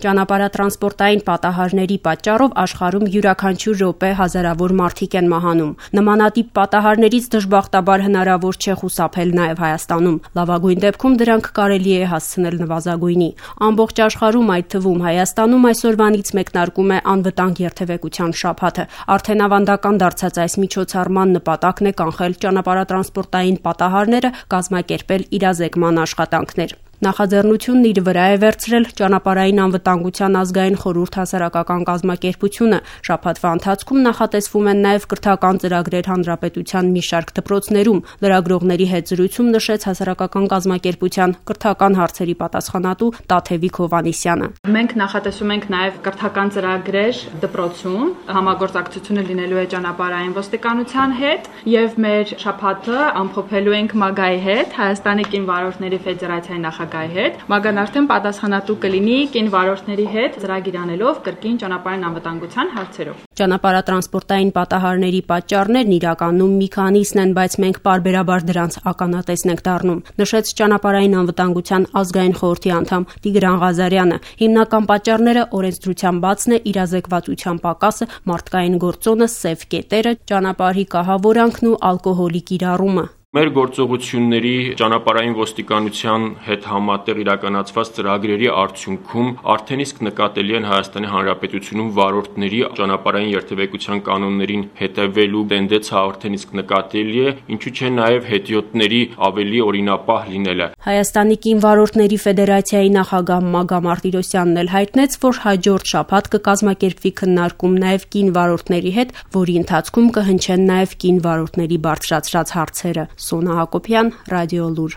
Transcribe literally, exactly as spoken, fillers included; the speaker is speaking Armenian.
Ճանապարհատրանսպորտային պատահարների պատճառով աշխարհում յուրաքանչյուր րոպե հազարավոր մարդիկ են մահանում։ Նմանատիպ պատահարներից դժբախտաբար հնարավոր չէ խուսափել նաև Հայաստանում։ Լավագույն դեպքում դրանք կարելի է հասցնել նվազագույնի։ Ամբողջ աշխարհում, այդ թվում Հայաստանում, այսօրվանից մեկնարկում է անվտանգ երթևեկության շաբաթը։ Արդեն ավանդական դարձած այս միջոցառման նպատակն է կանխել ճանապարհատրանսպորտային պատահարները, կազմակերպել իրազեկման աշխատանքներ։ Նախաձեռնությունն իր վրա է վերցրել Ճանապարհային անվտանգության ազգային խորհուրդ հասարակական կազմակերպությունը։ Շաբաթվա ընթացքում նախատեսվում են նաև կրթական ծրագրեր հանրապետության մի շարք դպրոցներում։ Լրագրողների հետ զրույցում նշեց հասարակական կազմակերպության կրթական հարցերի պատասխանատու Տաթևիկ Հովհաննիսյանը։ Մենք նախատեսում ենք նաև կրթական ծրագրեր դպրոցում, համագործակցությունը լինելու է ճանապարհային ոստիկանության հետ եւ մեր շաբաթը ամփոփելու ենք ՄԱԳԱ-ի հետ, Հայաստանի կին վարորդների ֆեդերացիայի նախագահի հետ, ՄԱԳԱ-ն արդեն պատասխանատու կլինի կին վարորդների հետ ծրագիր անելով կրկին ճանապարհային անվտանգության հարցերով։ Ճանապարհատրանսպորտային պատահարների պատճառներն իրականում մի քանիսն են, բայց մենք պարբերաբար դրանց ականատեսն ենք դառնում, նշեց Ճանապարհային անվտանգության ազգային խորհրդի անդամ Տիգրան Ղազարյանը։ Հիմնական պատճառները օրենսդրության բացն է, իրազեկվածության պակասը, մարդկային գործոնը, սև կետերը, ճանապարհի կահավորանքն ու ալկոհոլի կիրառումը։ Մեր գործողությունների ճանապարհային ոստիկանության հետ համատեղ իրականացված ծրագրերի արդյունքում արդեն իսկ նկատելի են Հայաստանի Հանրապետությունում վարորդների ճանապարհային երթևեկության կանոններին հետևելու տենդեցը արդեն իսկ նկատելի է, ինչու չէ նաև հետիոտների ավելի օրինապահ լինելը։ Հայաստանի կին վարորդների ֆեդերացիայի նախագահ Մագա Մարտիրոսյանն էլ հայտնեց, որ հաջորդ շաբաթ կկազմակերպվի քննարկում նաև կին վարորդների հետ, որի ընթացքում կհնչեն նաև կին վարորդների բարձրացրած հարցերը։ Սոնա Հակոբյան, Ռադիոլուր։